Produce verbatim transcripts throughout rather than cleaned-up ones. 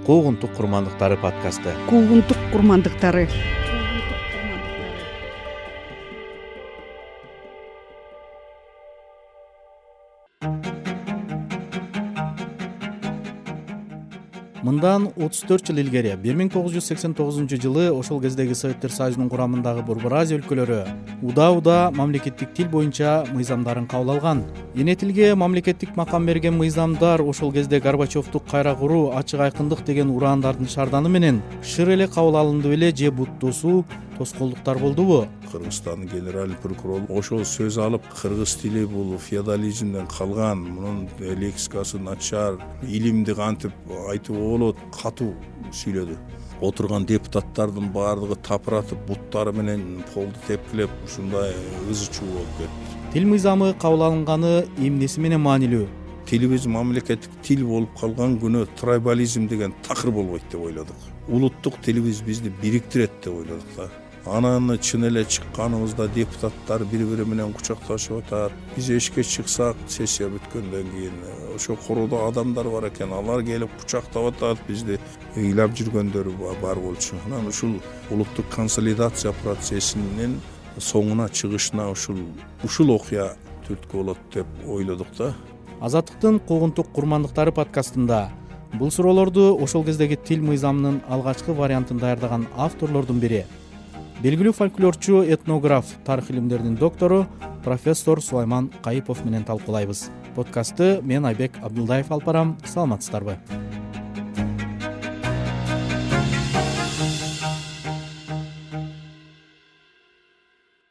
Куугунтук курмандыктары подкасты. Куугунтук курмандыктары. Мындан отуз төрт жыл илгери бир миң тогуз жүз сексен тогузунчу жылы ошол кездеги Советтер Союзунун курамындагы Борбор Азия өлкөлөрү удаа-удаа мамлекеттик тил боюнча мыйзамдарын кабыл алган. Эне тилге мамлекеттик макам берген мыйзамдар ошол кезде Горбачевду кайра куруу, ачык айкындык деген ураандардын шарданы менен шыр эле кабыл алынды беле же бут тосуу, тоскоолдуктар болдубу? Кыргызстандын генеральный прокурору ошол сөз алып, кыргыз тили бул феодализмден калган, мунун лексикасы начар, илимди кантип айтып болот, катуу сүйлөдү. Отурган депутаттардын баардыгы тапыратып, буттары менен полду тепкилеп, ушундай ызы-чуу болуп кетти. Тил мыйзамы кабыл алынганы эмнеси менен маанилүү? Тилибиз мамлекеттик тил болуп калган күнү трайбализм деген такыр болбойт деп ойлодук. Улуттук тилибиз бизди бириктирет деп ойлодук да. Анан чын эле чыкканыбызда депутаттар бири-бири менен кучакташып атат. Биз эшикке чыксак, сессия бүткөндөн кийин ошо короодо адамдар бар экен, алар келип кучактап атат, бизди ыйлап жүргөндөр бар болчу. Анан ушул улуттук консолидация процессинин соңуна чыгышына ушул ушул окуя түрткү болот деп ойлодук да. Азаттыктын Куугунтук курмандыктары подкастында бул суроолорду ошол кездеги тил мыйзамынын алгачкы вариантын даярдаган авторлордун бири, белгилүү фольклорчу, этнограф, тарых илимдеринин доктору профессор Сулайман Кайыпов менен талкуулайбыз. Подкастты мен Айбек Абдулдаев алып барам. Саламатсыздарбы?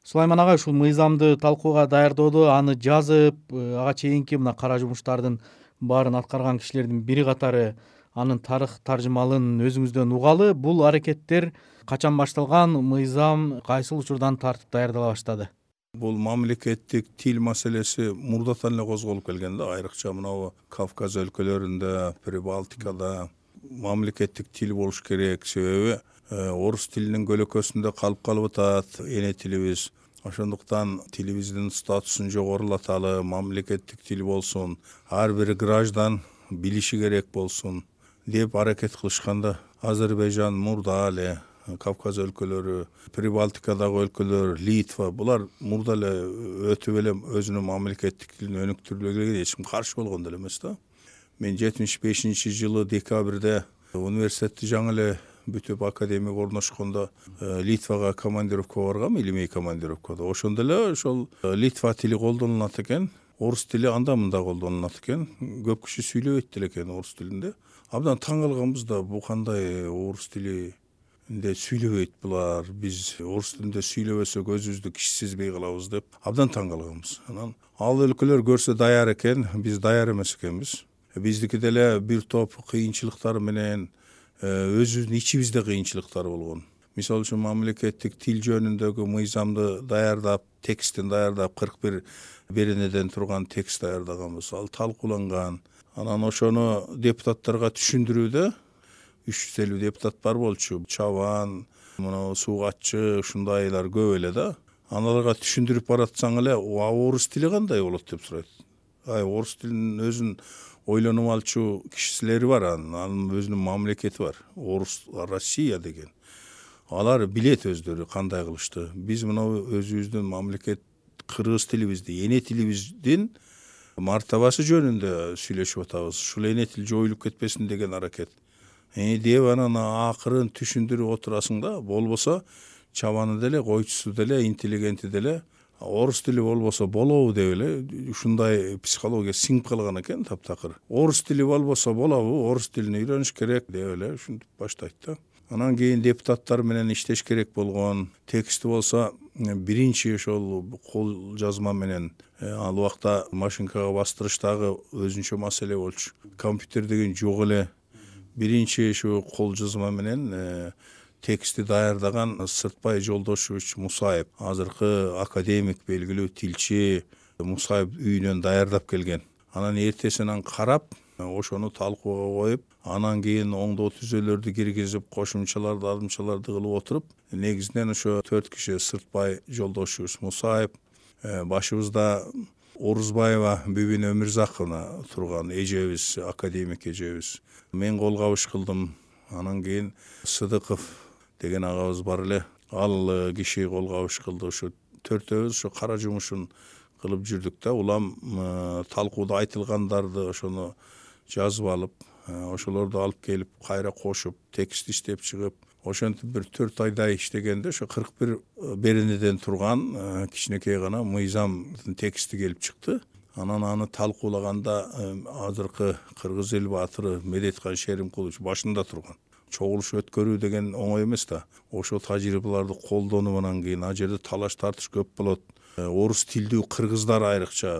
Сулайман ага, ушул мыйзамды талкууга даярдоодо, аны жазып, ага чейинки мына кара жумуштардын баарын аткарган кишилердин бири катары анын тарых таржымалын өзүңүздөн угалы. Бул аракеттер качан башталган, мыйзам кайсыл учурдан тартып даярдала баштады? Бул мамлекеттик тил маселеси мурдатан эле козголуп келген да, айрыкча мына Кавказ өлкөлөрүндө, Прибалтикада мамлекеттик тил болуш керек. Себеби орус тилинин көлөкөсүндө калып калып атат эне тилибиз. Ошондуктан тилибиздин статусун жогорулаталы, мамлекеттик тил болсун, ар бир граждан билиши керек болсун деп аракет кылышканда, Азербайжан мурда эле, Кавказ өлкөлөрү, Прибалтикадагы өлкөлөр, Литва, булар мурда эле өтүп эле өзүнүн мамлекеттик тилин өнүктүрүлгөнгө эч ким каршы болгон деле эмес да. Мен жетимиш бешинчи жылы декабрда университетти жаңы эле бүтүп академияга орношкондо Литвага командировка баргам, илимий командировкада. Ошондо эле ошол Литва тили колдонулат экен, орус тили анда-мында колдонулат экен. Көп киши сүйлөбөйт деле экен орус тилинде. Абдан таң калганбыз да, бу кандай орус тилинде сүйлөбөйт булар, биз орус тилинде сүйлөбөсөк өзүбүздү кичи сезбей калабыз деп абдан таң калганбыз. Анан ал өлкөлөр көрсө даяр экен, биз даяр эмес экенбиз. Биздики деле бир топ кыйынчылыктар менен өзүбүздүн ичибизде кыйынчылыктар болгон. Мисалы үчүн мамлекеттик тил жөнүндөгү мыйзамды даярдап, текстин даярдап, кырк бир беренеден турган текст даярдаганбыз. Ал талкууланган. Анан ошону депутаттарга түшүндүрүүдө үч жүз элүү депутат бар болчу. Чабан, мына суугатчы, ушундайлар көп эле да. Аналарга түшүндүрүп баратсаң эле, орус тили кандай болот деп сурайт. Ай, орус тилинин өзүн ойлонуп алчу кишилери бар, анын өзүнүн мамлекети бар. Орус Россия деген. Алар билет өздөрү кандай кылышты. Биз мына өзүбүздүн мамлекет кыргыз тилибизди, эне тилибиздин мартабасы жөнүндө сүйлөшүп атабыз. Ушул эне тил жоюлуп кетпесин деген аракет. Э деп анан акырын түшүндүрүп отурасың да, болбосо чабаны деле, койчусу деле, интеллигенти деле орус тили болбосо болобу деп эле ушундай психология сиңип калган экен таптакыр. Орус тили болбосо болобу, орус тилин үйрөнүш керек деп эле ушинтип баштайт да. Анан кийин депутаттар менен иштеш керек болгон. Тексти болсо биринчи ошол кол жазма менен, ал убакта машинкага бастырыштагы өзүнчө маселе болчу. Компьютер деген жок эле. Биринчи ушу кол жазма менен тексти даярдаган Сыртбай Жолдошевич Мусаев, азыркы академик, белгилүү тилчи Мусаев үйүнөн даярдап келген. Анан эртесинен карап, ошону талкууга коюп, анан кийин оңдоо түзөлөрдү киргизип, кошумчаларды, алдымчаларды кылып отуруп, негизинен ошо төрт киши Сыртбай Жолдошевич Мусаев, башыбызда Орузбаева Бүбүн Өмүрзаковна турган эжебиз, академик эжебиз. Мен кол кабыш кылдым. Анан кийин Сыдыков деген агабыз бар эле. Ал киши кол кабыш кылды. Ошо төртөөбүз ошо кара жумушун кылып жүрдүк да. Улам талкууда айтылгандарды ошону жазып алып, ошолорду алып келип кайра кошуп, текст иштеп чыгып, ошентип бир төрт айдай иштегенде ошо кырк бир беренеден турган кичинекей гана мыйзамдын тексти келип чыкты. Анан аны талкуулаганда азыркы Кыргыз эл баатыры Медеткан Шеримкулович башында турган. Чогулуш өткөрүү деген оңой эмес да. Ошол тажрыйбаларды колдонуунан кийин ал жерде талаш тартыш көп болот. Орус тилдүү кыргыздар айрыкча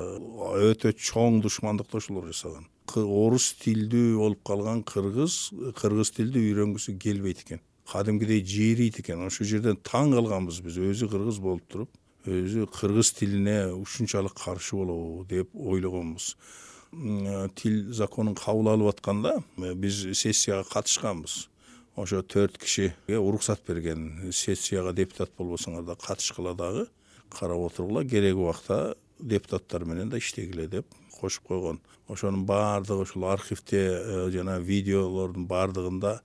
өтө чоң душмандыкташуулар жасаган. Орус тилдүү болуп калган кыргыз кыргыз тилди үйрөнгүсү келбейт экен. Кадимкидей жээрийт экен. Ошол жерден таң калганбыз биз, өзү кыргыз болуп туруп, өзү кыргыз тилине ушунчалык каршы болобу деп ойлогонбуз. Тил законун кабыл алып атканда биз сессияга катышканбыз. Ошо төрт кишиге уруксат берген. Сессияга депутат болбосоңор да катышкыла дагы, карап отургула, кереги убакта депутаттар менен да иштегиле деп кошуп койгон. Ошонун баардыгы ушул архивде жана видеолордун баардыгында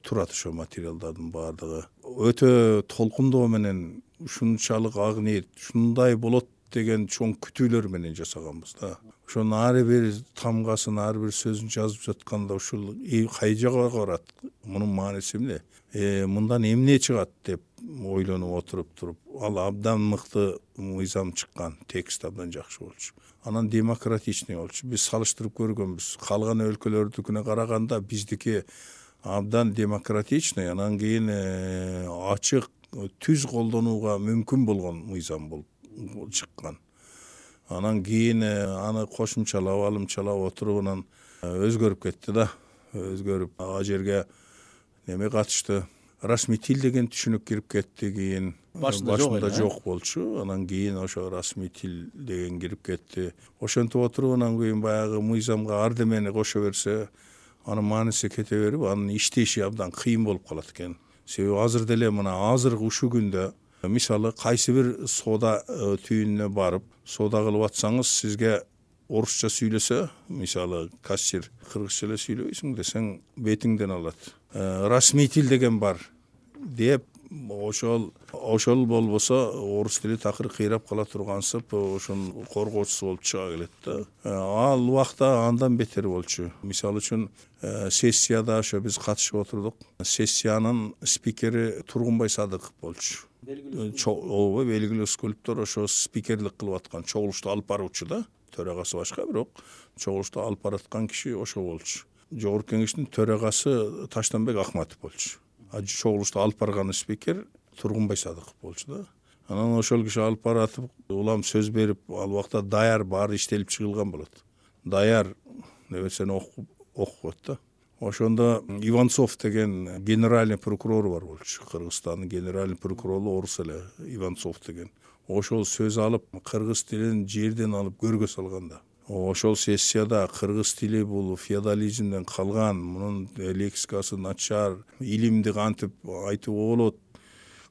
турат, ошо материалдардын баардыгы. Өтө толкундоо менен ушунчалык ак ниет, ушундай болот деген чоң күтүүлөр менен жасаганбыз да. Ошонун ар бир тамгасын, ар бир сөзүн жазып жатканда ушул кай жака барат, мунун мааниси эмне? Э, мындан эмне чыгат деп ойлонуп отуруп туруп, ал абдан мыкты мыйзам чыккан, текст абдан жакшы болчу. Анан демократичный болчу. Биз салыштырып көргөнбүз. Калган өлкөлөрдүкүнө караганда биздики абдан демократичный, анан кийин ачык, түз колдонууга мүмкүн болгон мыйзам болуп чыккан. Анан кийин аны кошумчалап, алымчалап отуруп анан өзгөрүп кетти да. Өзгөрүп ал жерге неме катышты. Расмий тил деген түшүнүк кирип кетти кийин. Башында жок болчу. Анан кийин ошо расмий тил деген кирип кетти. Ошентип отуруп анан кийин баягы мыйзамга ардемени кошо берсе, анын мааниси кете берип, анын иштеши абдан кыйын болуп калат экен. Себеби азыр деле мына азыркы ушул күндө мисалы кайсы бир соода түйүнүнө барып, соода кылып атсаңыз, сизге орусча сүйлөсө, мисалы кассир кыргызча эле сүйлөбөйсүң десең, бетиңден алат. Расмий тил деген бар деп, ошол ошол болбосо орус тили такыр кыйрап кала тургансып, ошонун коргоочусу болуп чыга келет да. Ал убакта андан бетер болчу. Мисалы үчүн сессияда ошо биз катышып отурдук. Сессиянын спикери Тургунбай Садыков болчу. Ооба, белгилүү скульптор, ошо спикерлик кылып аткан, чогулушту алып баруучу да. Төрагасы башка, бирок чогулушту алып бараткан киши ошо болчу. Жогорку кеңештин төрагасы Таштанбек Акматов болчу. А чогулушту алып барган спикер Тургунбай Садыков болчу да. Анан ошол киши алып баратып, улам сөз берип, ал убакта даяр баары иштелип чыгылган болот. Даяр нерсени окуп окуп да. Ошондо Иванцов деген генеральный прокурор бар болчу. Кыргызстандын генеральный прокурору орус эле, Иванцов деген. Ошол сөз алып, кыргыз тилин жерден алып көргө салганда. Ошол сессияда кыргыз тили бул феодализмден калган, мунун лексикасы начар, илимди кантип айтууга болот,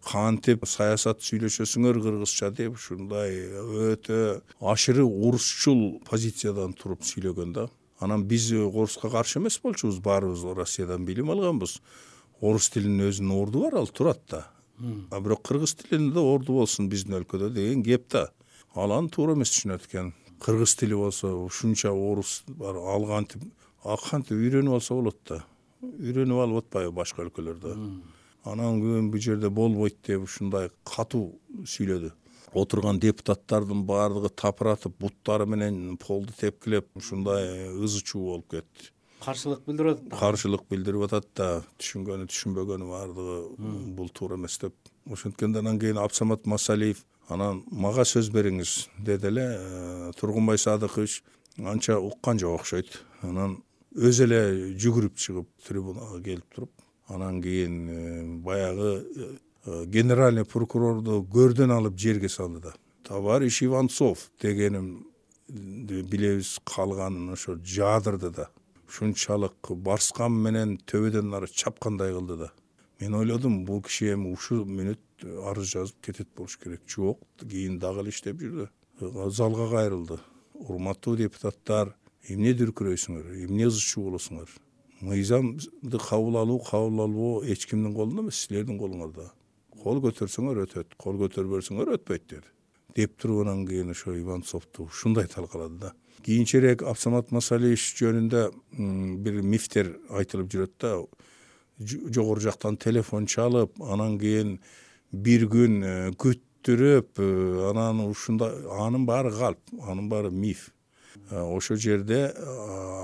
кантип саясат сүйлөшөсүңөр кыргызча деп, ушундай өтө ашыры орусчул позициядан туруп сүйлөгөн да. Анан биз оруска каршы эмес болчубуз, баарыбыз Россиядан билим алганбыз. Орус тилинин өзүнүн орду бар, ал турат да. А бирок кыргыз тилинде орду болсун биздин өлкөдө деген кеп да. Ал аны туура эмес түшүнөт экен. Кыргыз тили болсо ушунча орус бар, ал кантип кантип үйрөнүп алса болот да. Үйрөнүп алып атпайбы башка өлкөлөрдө. Анан кийин бул жерде болбойт деп ушундай катуу сүйлөдү. Отурган депутаттардын баардыгы тапыратып, буттары менен полду тепкилеп, ушундай ызы чуу болуп кетти. Каршылык билдирип атат. Каршылык билдирип атат да, түшүнгөнү түшүнбөгөнү баардыгы бул туура эмес деп. Ошенткенде анан кийин Абсамат Масалиев анан мага сөз бериңиз деди эле. Тургунбай Садыкович анча уккан жок окшойт. Анан өзү эле жүгүрүп чыгып трибунага келип туруп, анан кийин баягы генеральный прокурорду көрдөн алып жерге салды да. Товарищ Иванцов дегеним билебиз, калганын ошо жаадырды да. Ушунчалык барскан менен төбөдөн ары чапкандай кылды да. Мен ойлодум, бул киши эми ушул мүнөт арыз жазып кетет болуш керек. Жок, кийин дагы эле иштеп жүрдү. Залга кайрылды. урматтуу депутаттар, эмне дүркүрөйсүңөр, эмне ызы чуу болосуңар? Мыйзамды кабыл алуу, кабыл албоо эч кимдин колунда эмес, силердин колуңарда. Кол көтөрсөңөр өтөт, кол көтөрбөсөңөр өтпөйт деди. Деп туруп анан кийин ошо Иванцовду ушундай талкалады да. Кийинчерээк Абсамат Масалиевич жөнүндө бир мифтер айтылып жүрөт да. Жогору жактан телефон чалып, анан кийин бир күн күттүрүп, анан ушундай, анын баары калп, анын баары миф. Ошол жерде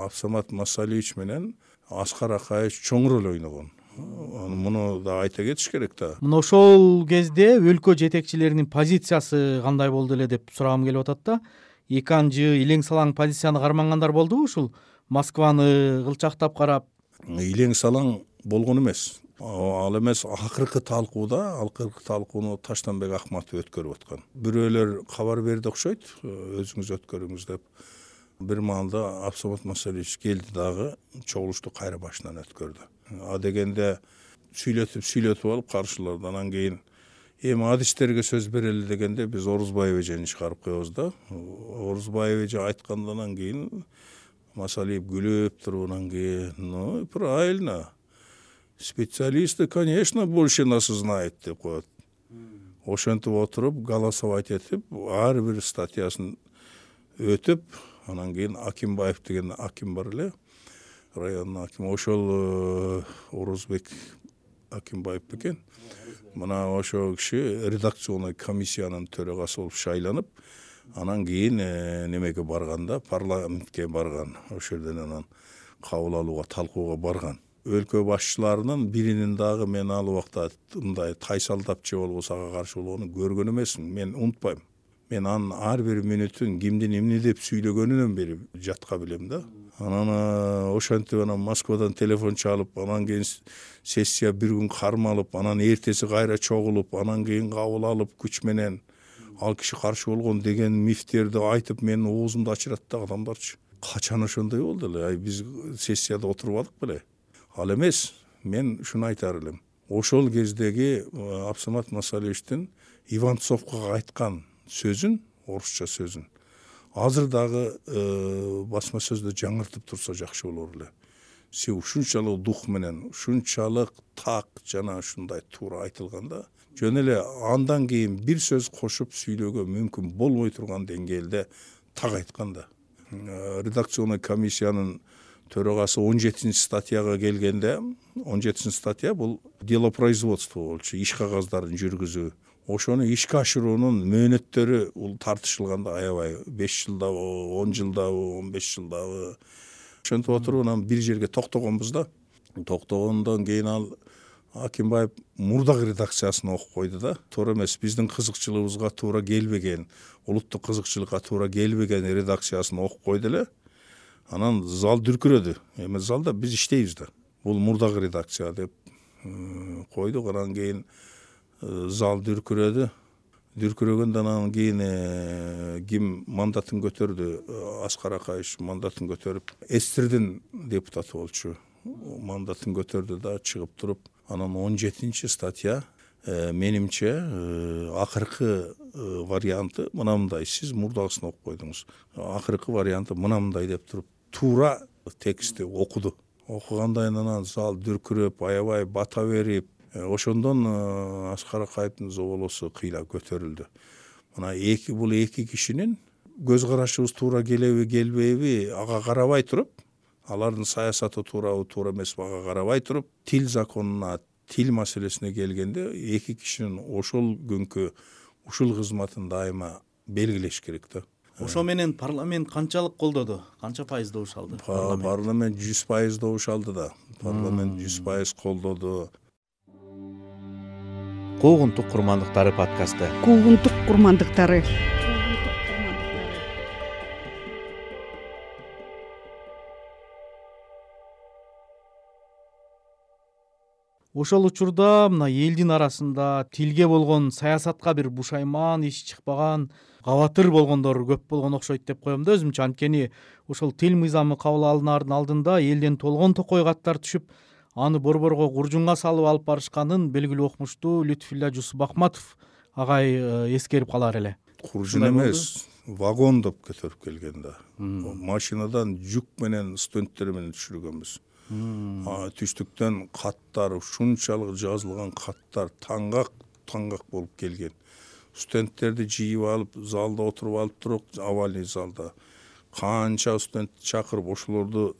Абсамат Масалиевич менен Аскар Акаевич чоң роль ойногон. Муну да айта кетиш керек да. Мына ошол кезде өлкө жетекчилеринин позициясы кандай болду эле деп сурагым келип атат да. Эки анжы илең салаң позицияны кармангандар болдубу ушул Москваны кылчактап карап? Илең салаң болгон эмес. Ал эмес, акыркы талкууда, акыркы талкууну Таштанбек Акматов өткөрүп аткан. Бирөөлөр кабар берди окшойт, өзүңүз өткөрүңүз деп. Бир маалда Абсамат Масалиевич келди дагы, чогулушту кайра башынан өткөрдү. А дегенде сүйлөтүп сүйлөтүп алып каршыларды. Анан кийин эми адистерге сөз берели дегенде биз Орузбаев эжени чыгарып коебуз да. Орузбаев эже айткандан кийин Масалиев күлүп туруп, анан кийин ну правильно. Специалисты, конечно, больше нас знает деп коет. Ошентип отуруп, голосовать этип, ар бир статьясын өтүп, анан кийин Акимбаев деген аким бар эле, райондун акими, ошол Орузбек Акимбаев бекен. Мына ошол киши редакционный комиссиянын төрагасы болуп шайланып, анан кийин немеге барганда, парламентке барган. Ошол жерден анан кабыл алууга, талкууга барган. Өлкө башчыларынын биринин дагы мен ал убакта мындай тайсалдап же болбосо ага каршы болгонун көргөн эмесмин. Мен унутпайм. Мен анын ар бир мүнөтүн кимдин эмне деп сүйлөгөнүнөн бери жатка билем да. Анан ошентип анан Москвадан телефон чалып, анан кийин сессия бир күн кармалып, анан эртеси кайра чогулуп, анан кийин кабыл алып күч менен ал киши каршы болгон деген мифтерди айтып менин оозумду ачырат да адамдарчы. Качан ошондой болду эле? Ай биз сессияда отурбадык беле? Ал эмес, мен ушуну айтар элем. Ошол кездеги Абсамат Масалиевичтин Иванцовго айткан сөзүн, орусча сөзүн, азыр дагы басма сөздө жаңыртып турса жакшы болор эле. Се ушунчалык дух менен, ушунчалык так жана ушундай туура айтылганда, жөн эле андан кийин бир сөз кошуп сүйлөөгө мүмкүн болбой турган деңгээлде так айткан да. Редакционный комиссиянын төрагасы он жетинчи статьяга келгенде, он жетинчи статья бул делопроизводство болчу, иш кагаздарын жүргүзүү. Ошону ишке ашыруунун мөөнөттөрү бул тартышылганда аябай беш жылдабы, он жылдабы, он беш жылдабы. Ошентип отуруп анан бир жерге токтогонбуз да. Токтогондон кийин ал Акимбаев мурдагы редакциясын окуп койду да. Туура эмес, биздин кызыкчылыгыбызга туура келбеген, улуттук кызыкчылыкка туура келбеген редакциясын окуп койду эле. Анан зал дүркүрөдү. Эми залда биз иштейбиз да. Бул мурдагы редакция деп койдук. Анан кийин зал дүркүрөдү. Дүркүрөгөндөн анан кийин ким мандатын көтөрдү? Аскар Акаевич мандатын көтөрүп, Эстердин депутаты болчу. Мандатын көтөрдү да чыгып туруп, анан он жетинчи статья менимче акыркы варианты мынандай. Сиз мурдагысын окуп койдуңуз. Акыркы варианты мынандай деп туруп, туура текстти окуду. Окугандан анан зал дүркүрөп, аябай бата берип, ошондон Аскар Акаевдин зоболосу кыйла көтөрүлдү. Мына эки бул эки кишинин көз карашыбыз туура келеби, келбейби ага карабай туруп, алардын саясаты туурабы, туура эмеспи ага карабай туруп, тил законуна, тил маселесине келгенде эки кишинин ошол күнкү ушул кызматын дайыма белгилеш керек да. Ошо менен парламент канчалык колдоду? Канча пайыз добуш алды? Парламент жүз пайыз добуш алды да. Парламент жүз пайыз колдоду. Куугунтук курмандыктары подкасты. Куугунтук курмандыктары. Ошол учурда мына элдин арасында тилге болгон саясатка бир бушайман, иш чыкпаган, кабатыр болгондор көп болгон окшойт деп коем да өзүмчө. Анткени ошол тил мыйзамы кабыл алынаардын алдында элден толгон токой каттар түшүп, аны борборго куржунга салып алып барышканын белгилүү окумуштуу Лютфулла Жусуп Ахматов агай эскерип калар эле. Куржун эмес, вагондоп көтөрүп келген да. Машинадан жүк менен студенттер менен түшүргөнбүз. Түштүктөн каттар, ушунчалык жазылган каттар таңгак таңгак болуп келген. Студенттерди жыйып алып, залда отуруп алып туруп, авальный залда канча студент чакырып ошолорду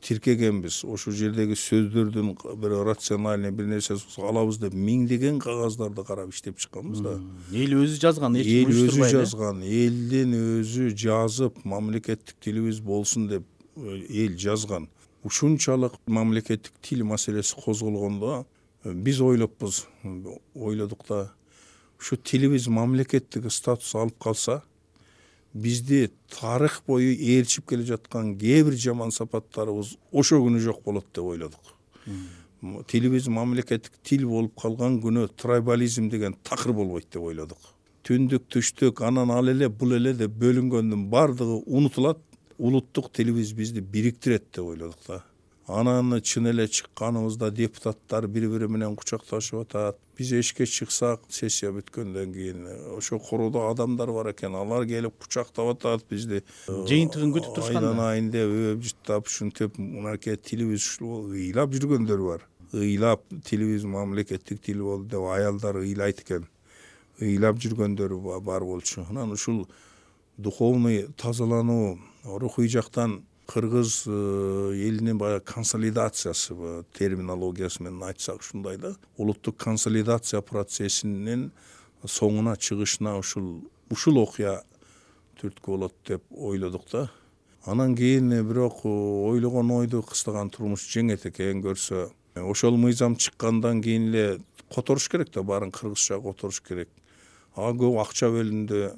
тиркегенбиз. Ошол жердеги сөздөрдүн бир рациональный бир нерсе алабыз деп миңдеген кагаздарды карап иштеп чыкканбыз да. Эл өзү жазган, эч Эл ким өзү уюштурбай эле. жазган, элдин өзү жазып, мамлекеттик тилибиз болсун деп эл жазган. Ушунчалык мамлекеттик тил маселеси козголгондо биз ойлоппуз, ойлодук да, ушу тилибиз мамлекеттик статус алып калса, бизди тарых бою ээрчип келе жаткан кээ бир жаман сапаттарыбыз ошо күнү жок болот деп ойлодук. Тилибиз мамлекеттик тил болуп калган күнү трайбализм деген такыр болбойт деп ойлодук. Түндүк, түштүк, анан ал эле, бул эле деп бөлүнгөндүн бардыгы унутулат. Улуттук тилибиз бизди бириктирет деп ойлодук да. Анан чын эле чыкканыбызда депутаттар бири-бири менен кучакташып атат. Биз эшикке чыксак, сессия бүткөндөн кийин ошо короодо адамдар бар экен, алар келип кучактап атат бизди. Жыйынтыгын күтүп турушкан да. Айдан деп өп жыттап, ушинтип, мынакей тилибиз ушул ыйлап жүргөндөр бар. Ыйлап тилибиз мамлекеттик тил болду деп аялдар ыйлайт экен. Ыйлап жүргөндөр бар болчу. Анан ушул духовный тазалануу, рухий жактан кыргыз элинин баягы консолидациясы, терминологиясы менен айтсак ушундай да, улуттук консолидация процессинин соңуна чыгышына ушул ушул окуя түрткү болот деп ойлодук да. Анан кийин бирок ойлогон ойду кыстаган турмуш жеңет экен көрсө, ошол мыйзам чыккандан кийин эле которуш керек да, баарын кыргызча которуш керек. Ага көп акча бөлүндү.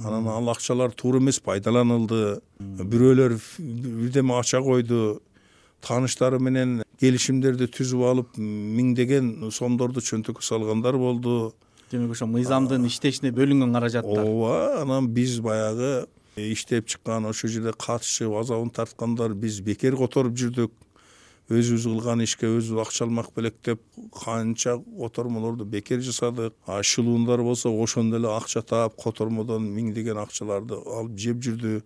Анан ал акчалар туура эмес пайдаланылды. Бирөөлөр бирдеме ача койду. Тааныштары менен келишимдерди түзүп алып, миңдеген сомдорду чөнтөккө салгандар болду. Демек ошо мыйзамдын иштешине бөлүнгөн каражаттар. Ооба, анан биз баягы иштеп чыккан, ошо жерде катышып азабын тарткандар биз бекер которуп жүрдүк. Өзүбүз кылган ишке өзүбүз акча алмак белек деп канча котормолорду бекер жасадык. А шылуундар болсо ошондо эле акча таап котормодон миңдеген акчаларды алып жеп жүрдү.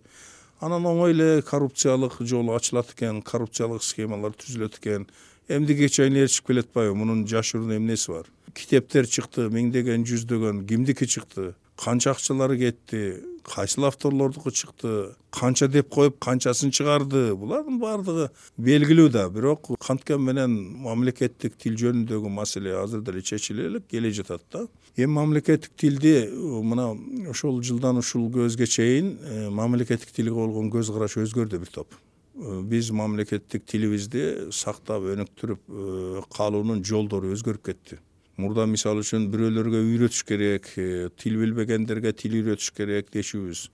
Анан оңой эле коррупциялык жол ачылат экен, коррупциялык схемалар түзүлөт экен. Эмдиге чейин ээрчип келет атпайбы? Мунун жашыруун эмнеси бар? Китептер чыкты, миңдеген, жүздөгөн, кимдики чыкты? Канча акчалары кетти? Кайсыл авторлордуку чыкты? Канча деп коюп, канчасын чыгарды? Булардын бардыгы белгилүү да. Бирок канткен менен мамлекеттик тил жөнүндөгү маселе азыр деле чечиле элек келе жатат да. Эми мамлекеттик тилди мына ошол жылдан ушул көзгө чейин мамлекеттик тилге болгон көз караш өзгөрдү бир топ. Биз мамлекеттик тилибизди сактап, өнүктүрүп калуунун жолдору өзгөрүп кетти. Мурда мисалы үчүн бирөөлөргө үйрөтүш керек, тил билбегендерге тил үйрөтүш керек дешүүбүз.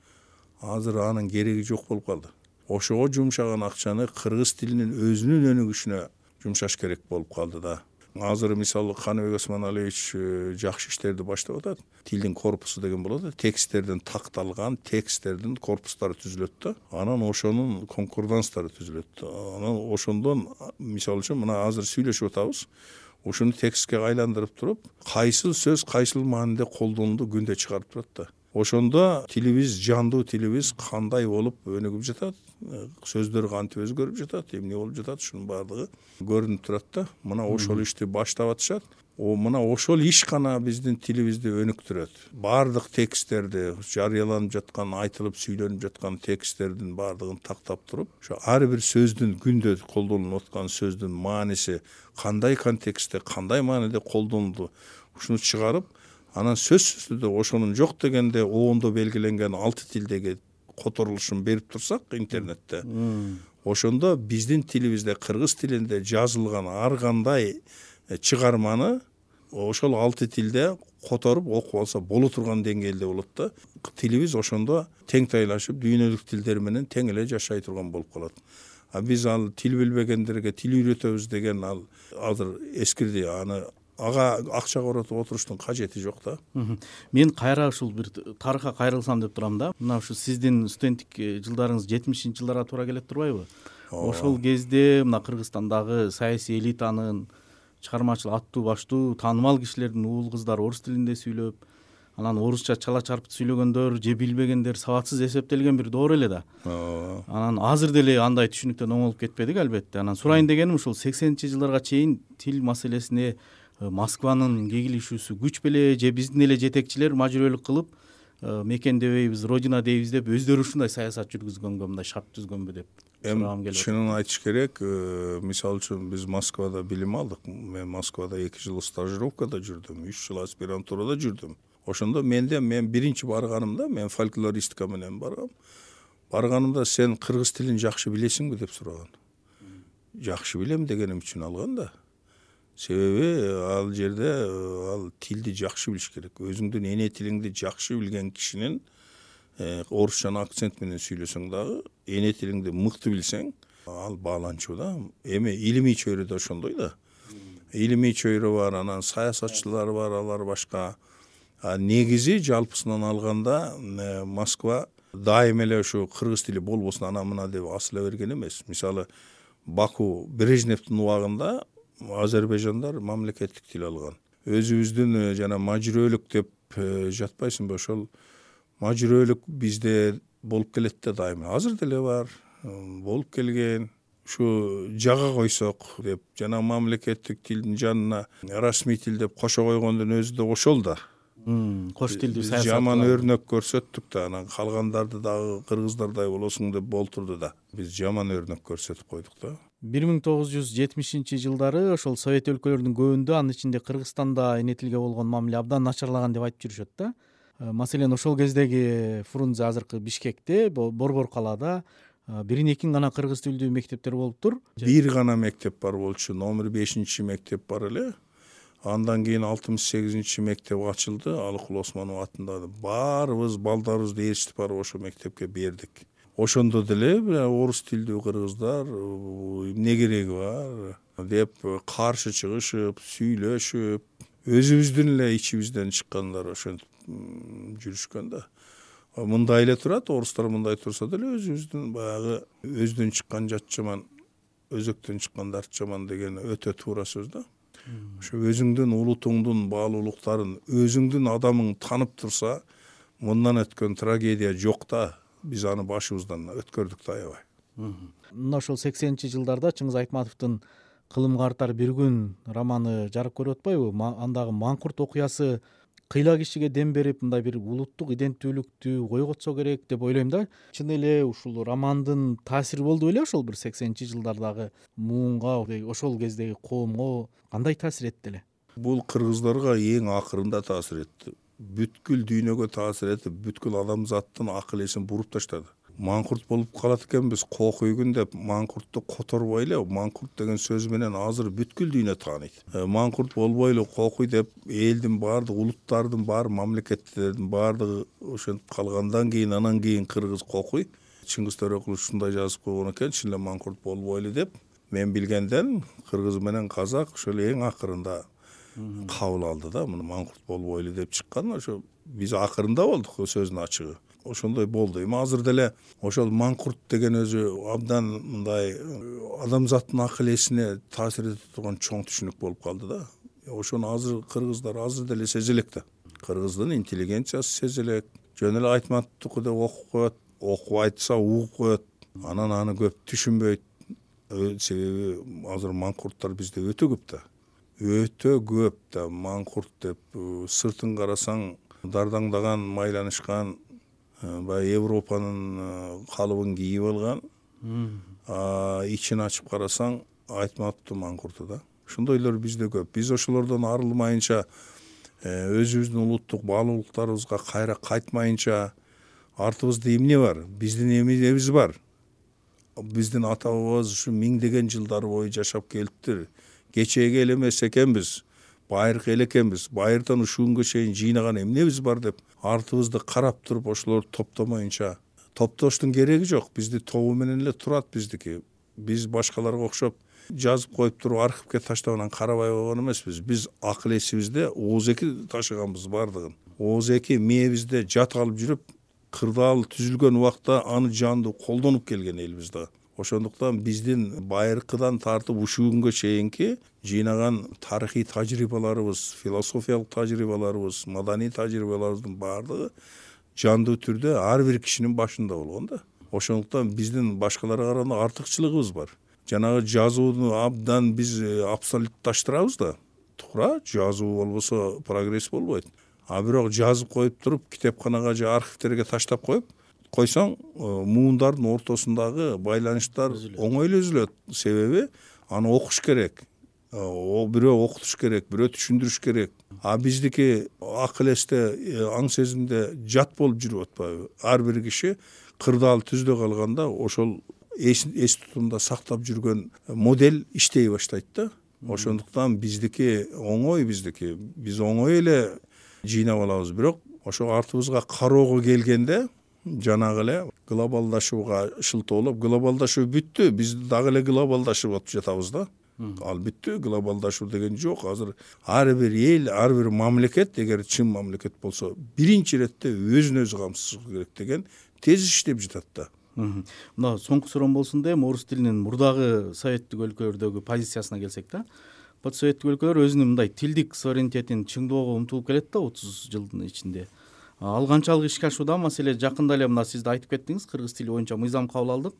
Азыр анын кереги жок болуп калды. Ошого жумшаган акчаны кыргыз тилинин өзүнүн өнүгүшүнө жумшаш керек болуп калды да. Азыр мисалы Каныбек Осмоналиевич жакшы иштерди баштап атат. Тилдин корпусу деген болот. Тексттерден такталган тексттердин корпустары түзүлөт да. Анан ошонун конкорданстары түзүлөт. Анан ошондон мисалы үчүн мына азыр сүйлөшүп атабыз. Ушуну текстке айландырып туруп, кайсыл сөз кайсыл мааниде колдонулду күндө чыгарып турат да. Ошондо тилибиз, жандуу тилибиз кандай болуп өнүгүп жатат, сөздөр кантип өзгөрүп жатат, эмне болуп жатат, ушунун баардыгы көрүнүп турат да. Мына ошол ишти баштап атышат. О, мына ошол иш гана биздин тилибизди өнүктүрөт. Бардык тексттерди, жарыяланып жаткан, айтылып сүйлөнүп жаткан тексттердин бардыгын тактап туруп, ошо ар бир сөздүн күндө колдонулуп аткан сөздүн мааниси кандай контекстте, кандай мааниде колдонулду, ушуну чыгарып, анан сөзсүз түрдө ошонун жок дегенде обондо белгиленген алты тилдеги которулушун берип турсак интернетте, ошондо биздин тилибизде, кыргыз тилинде жазылган ар кандай чыгарманы ошол алты тилде которуп окуп алса боло турган деңгээлде болот да. Тилибиз ошондо тең тайлашып, дүйнөлүк тилдер менен тең эле жашай турган болуп калат. А биз ал тил билбегендерге тил үйрөтөбүз деген ал азыр эскирди. Аны ага акча коротуп отуруштун кажети жок да. Мен кайра ушул бир тарыхка кайрылсам деп турам да. Мына ушу сиздин студенттик жылдарыңыз жетимишинчи жылдарга туура келет турбайбы? Ошол кезде мына Кыргызстандагы саясий элитанын чыгармачыл аттуу баштуу таанымал кишилердин уул кыздары орус тилинде сүйлөп, анан орусча чала чарпыт сүйлөгөндөр же билбегендер сабатсыз эсептелген бир доор эле да. Анан азыр деле андай түшүнүктөн оңолуп кетпедик албетте. Анан сурайын дегеним ушул сексенинчи жылдарга чейин тил маселесине Москванын кегилишүүсү күч беле же биздин эле жетекчилер мажбүрөлүк кылып мекен дебейбиз, родина дейбиз деп өздөрү ушундай саясат жүргүзгөнгө, мындай шарт түзгөнгө деп сурагым келип атат. Чынын айтыш керек, мисалы үчүн биз Москвада билим алдык. Мен Москвада эки жыл стажировкада жүрдүм, үч жыл аспирантурада жүрдүм. Ошондо менде мен биринчи барганымда мен фольклористика менен баргам. Барганымда сен кыргыз тилин жакшы билесиңби деп сураган. Жакшы билем дегеним үчүн алган да. Себеби ал жерде ал тилди жакшы билиш керек. Өзүңдүн эне тилиңди жакшы билген кишинин орусча акцент менен сүйлөсөң дагы, эне тилиңди мыкты билсең, ал бааланчу да. Эми илимий чөйрөдө ошондой да. Илимий чөйрө бар, анан саясатчылар бар, алар башка. Негизи жалпысынан алганда Москва дайым эле ушу кыргыз тили болбосун ана мына деп асыла берген эмес. Мисалы Баку Брежневдин убагында Азербайжандар мамлекеттик тил алган. Өзүбүздүн жана мажбүрөлүк деп жатпайсыңбы, ошол мажбүрөлүк бизде болуп келет да дайым. Азыр деле бар, болуп келген. Ушу жага койсок деп жана мамлекеттик тилдин жанына расмий тил деп кошо койгондун өзү да ошол да. Кош тилдүү саясат. Жаман өрнөк көрсөттүк да, анан калгандарды дагы кыргыздардай болосуң деп болтурду да. Биз жаман өрнөк көрсөтүп койдук да. бир миң тогуз жүз жетимишинчи жылдары ошол Совет өлкөлөрүнүн көбүндө, анын ичинде Кыргызстанда эне тилге болгон мамиле абдан начарлаган деп айтып жүрүшөт да. Маселен, ошол кездеги Фрунзе азыркы Бишкекте, Борбор калаада бирин экин гана кыргыз тилдүү мектептер болуптур. Бир гана мектеп бар болчу, номер бешинчи мектеп бар эле. Андан кийин алтымыш сегизинчи мектеп ачылды, Алыкул Осмонов атындагы. Баарыбыз балдарыбызды ээрчитип барып ошол мектепке бердик. Ошондо деле орус тилдүү кыргыздар эмне кереги бар деп каршы чыгышып, сүйлөшүп, өзүбүздүн эле ичибизден чыккандар ошентип жүрүшкөн да. Мындай эле турат, орустар мындай турса деле өзүбүздүн баягы өздөн чыккан жат жаман, өзөктөн чыккан дарт жаман деген өтө туура сөз да. Ошо өзүңдүн улутуңдун баалуулуктарын, өзүңдүн адамың танып турса, мындан өткөн трагедия жок да. Биз аны башыбыздан өткөрдүк да аябай. Мына ошол сексенинчи жылдарда Чыңгыз Айтматовдун Кылымга артар бир күн романы жарык көрүп атпайбы? Андагы Маңкурт окуясы кыйла кишиге дем берип, мындай бир улуттук иденттүүлүктү койготсо керек деп ойлойм да. Чын эле ушул романдын таасири болду беле ошол бир сексенинчи жылдардагы муунга, ошол кездеги коомго кандай таасир этти эле? Бул кыргыздарга эң акырында таасир этти. Бүткүл дүйнөгө таасир этип, бүткүл адамзаттын акыл эсин буруп таштады. Маңкурт болуп калат экенбиз, кокуйгун деп Маңкуртту которбой эле, Маңкурт деген сөз менен азыр бүткүл дүйнө тааныйт. Маңкурт болбойлу кокуй деп элдин баардык, улуттардын баары, мамлекеттердин баардыгы ошентип калгандан кийин, анан кийин кыргыз кокуй. Чыңгыз Төрөкулов ушундай жазып койгон экен, чын эле Маңкурт болбойлу деп. Мен билгенден кыргыз менен казак ошол эң акырында кабыл алды да, муну Маңкурт болбойлу деп чыккан. Ошо биз акырында болдук сөздүн ачыгы. Ошондой болду. Эми азыр деле ошол Маңкурт деген өзү абдан мындай адамзаттын акыл эсине таасир этип турган чоң түшүнүк болуп калды да. Ошону азыр кыргыздар азыр деле сезелек да. Кыргыздын интеллигенциясы сезелек. Жөн эле Айтматовдуку деп окуп коет, окуп айтса угуп коет. Анан аны көп түшүнбөйт. Себеби азыр Маңкурттар бизде өтө көп да. Өтө көп да. Маңкурт деп сыртын карасаң дардаңдаган, майланышкан, баягы Европанын калыбын кийип алган, ичин ачып карасаң Айтматовдун Маңкурту да. Ошондойлор бизде көп. Биз ошолордон арылмайынча, өзүбүздүн улуттук баалуулуктарыбызга кайра кайтмайынча, артыбызда эмне бар? Биздин эмнебиз бар? Биздин ата бабабыз ушу миңдеген жылдар бою жашап келиптир. Кечеги эл эмес экенбиз, байыркы эл экенбиз. Байырдан ушул күнгө чейин жыйнаган эмнебиз бар деп артыбызды карап туруп ошолорду топтомоюнча, топтоштун кереги жок. Бизди тобу менен эле турат биздики. Биз башкаларга окшоп жазып коюп туруп архивке таштап анан карабай койгон эмеспиз. Биз акыл эсибизде ооз-эки ташыганбыз бардыгын. ооз-эки мээбизде жат алып жүрүп, кырдаал түзүлгөн убакта аны жандуу колдонуп келген элбиз да. Ошондуктан биздин байыркыдан тартып ушул күнгө чейинки жыйнаган тарыхый тажрыйбаларыбыз, философиялык тажрыйбаларыбыз, маданий тажрыйбаларыбыздын баардыгы жандуу түрдө ар бир кишинин башында болгон да. Ошондуктан биздин башкаларга караганда артыкчылыгыбыз бар. Жанагы жазууну абдан биз абсолютташтырабыз да. Туура, жазуу болбосо прогресс болбойт. А бирок жазып коюп туруп, китепканага же архивтерге таштап коюп койсоң, муундардын ортосундагы байланыштар оңой эле үзүлөт. Себеби аны окуш керек. О бирөө окутуш керек, бирөө түшүндүрүш керек. А биздики акыл эсте, аң сезимде жат болуп жүрүп атпайбы? Ар бир киши кырдаал түздө калганда ошол эс тутумда сактап жүргөн модель иштей баштайт да. Ошондуктан биздики оңой, биздики биз оңой эле жыйнап алабыз. Бирок ошо артыбызга кароого келгенде жанагы эле глобалдашууга шылтоолоп, глобалдашуу бүттү, биз дагы эле глобалдашып атып жатабыз да. Ал бүттү, глобалдашуу деген жок. Азыр ар бир эл, ар бир мамлекет, эгер чын мамлекет болсо, биринчи иретте өзүн өзү камсыз керек деген тез иштеп жатат да. Мына соңку суроом болсун да, эми орус тилинин мурдагы советтик өлкөлөрдөгү позициясына келсек да. Постсоветтик өлкөлөр өзүнүн мындай тилдик суверенитетин чыңдоого умтулуп келет да отуз жылдын ичинде. Ал канчалык ишке ашууда? Маселе жакында эле мына сиз да айтып кеттиңиз, кыргыз тили боюнча мыйзам кабыл алдык.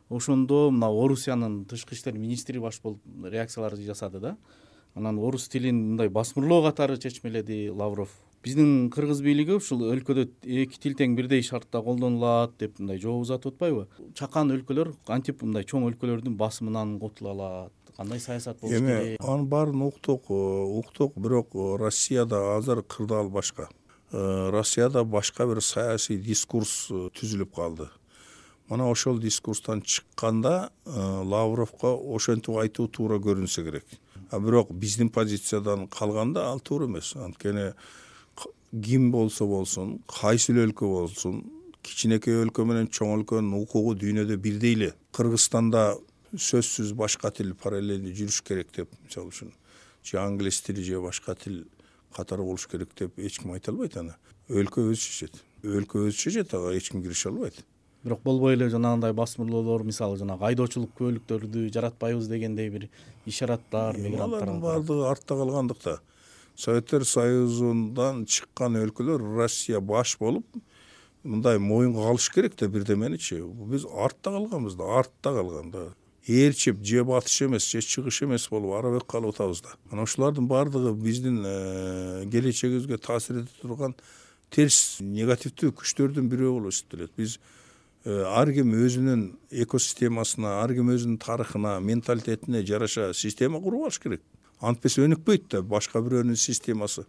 Ошондо мына Орусиянын тышкы иштер министри баш болуп реакциялар жасады да. Анан орус тилин мындай басмырлоо катары чечмеледи Лавров. Биздин кыргыз бийлиги ушул өлкөдө эки тил тең бирдей шартта колдонулат деп мындай жооп узатып атпайбы? Чакан өлкөлөр кантип мындай чоң өлкөлөрдүн басымынан котула алат? Кандай саясат болуш керек? Эми анын баарын уктук, уктук, бирок Россияда азыр кырдаал башка. Россияда башка бир саясий дискурс түзүлүп калды. Мына ошол дискурстан чыкканда Лавровго ошентип айтуу туура көрүнсө керек. А бирок биздин позициядан калганда ал туура эмес. Анткени ким болсо болсун, кайсы өлкө болсун, кичинекей өлкө менен чоң өлкөнүн укугу дүйнөдө бирдей эле. Кыргызстанда сөзсүз башка тил параллельно жүрүш керек деп, мисалы үчүн, же англис тили же башка тил катары болуш керек деп эч ким айта албайт аны. Өлкө өзү чечет. Өлкө өзү чечет, ага эч ким кирише албайт. Бирок болбой эле жанагындай басмырлоолор, мисалы жанагы айдоочулук көөлүктөрдү жаратпайбыз дегендей бир ишараттар, мигранттар баардыгы артта калгандыкта. Советтер Союзундан чыккан өлкөлөр Россия баш болуп, мындай моюнга алыш керек да бирдеменичи. Биз артта калганбыз да, артта калган да. Ээрчип же батыш эмес, же чыгыш эмес болуп арабек калып атабыз да. Мына ушулардын баардыгы биздин келечегибизге таасир эте турган терс негативдүү күчтөрдүн бирөө болуп эсептелет. Биз ар ким өзүнүн экосистемасына, ар ким өзүнүн тарыхына, менталитетине жараша система куруп алыш керек. Антпесе өнүкпөйт да, башка бирөөнүн системасы,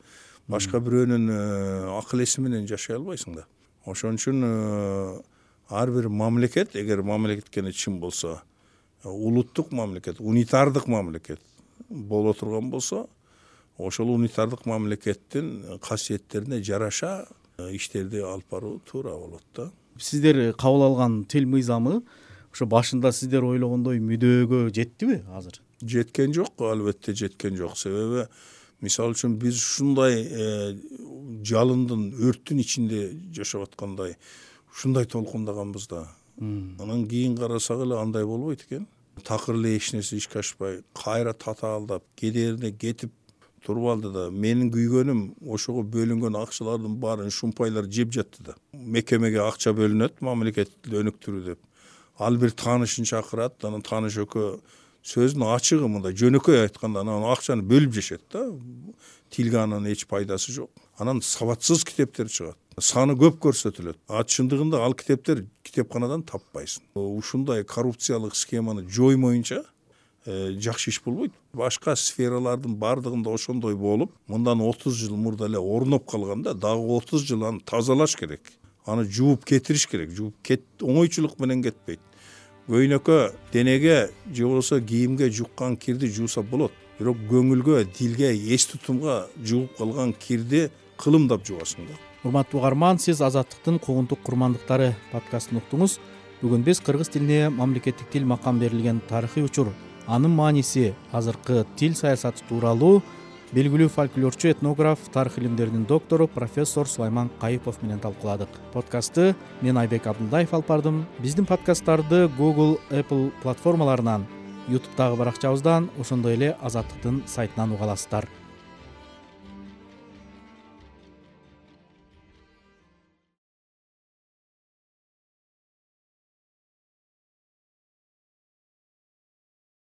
башка бирөөнүн акыл эси менен жашай албайсың да. Ошон үчүн ар бир мамлекет, эгер мамлекеткене чын болсо, улуттук мамлекет, унитардык мамлекет боло турган болсо, ошол унитардык мамлекеттин касиеттерине жараша иштерди алып баруу туура болот да. Сиздер кабыл алган тил мыйзамы ошо башында сиздер ойлогондой мүдөөгө жеттиби азыр? Жеткен жок, албетте жеткен жок. Себеби мисалы үчүн биз ушундай жалындын, өрттүн ичинде жашап аткандай ушундай толкундаганбыз да. Анан кийин карасак эле андай болбойт экен. Такыр эле эч нерсе ишке ашпай, кайра татаалдап, кедерине кетип туруп алды да. Менин күйгөнүм ошого бөлүнгөн акчалардын баарын шумпайлар жеп жатты да. Мекемеге акча бөлүнөт, мамлекетти өнүктүрүү деп. Ал бир таанышын чакырат, анан тааныш экөө сөздүн ачыгы мындай жөнөкөй айтканда анан акчаны бөлүп жешет да. Тилге анан эч пайдасы жок. Анан сабатсыз китептер чыгат. Саны көп көрсөтүлөт. А чындыгында ал китептер китепканадан таппайсың. Ушундай коррупциялык схеманы жоймоюнча жакшы иш болбойт. Башка сфералардын баардыгында ошондой болуп, мындан отуз жыл мурда эле орноп калганда, дагы отуз жыл аны тазалаш керек. Аны жууп кетириш керек. Жууп кет оңойчулук менен кетпейт. Көйнөккө, денеге же болбосо кийимге жуккан кирди жууса болот. Бирок көңүлгө, дилге, эс тутумга жууп калган кирди кылымдап жуасың да. Урматтуу угарман, сиз Азаттыктын Когунтук курмандыктары подкастын уктуңуз. Бүгүн биз кыргыз тилине мамлекеттик тил макам берилген тарыхый учур, анын мааниси, азыркы тил саясаты тууралуу белгилүү фольклорчу, этнограф, тарых илимдеринин доктору профессор Сулайман Кайыпов менен талкууладык. Подкастты мен Айбек Абдулдаев алып бардым. Биздин подкасттарды Google, Apple платформаларынан, YouTube'дагы баракчабыздан, ошондой эле Азаттыктын сайтынан уга аласыздар.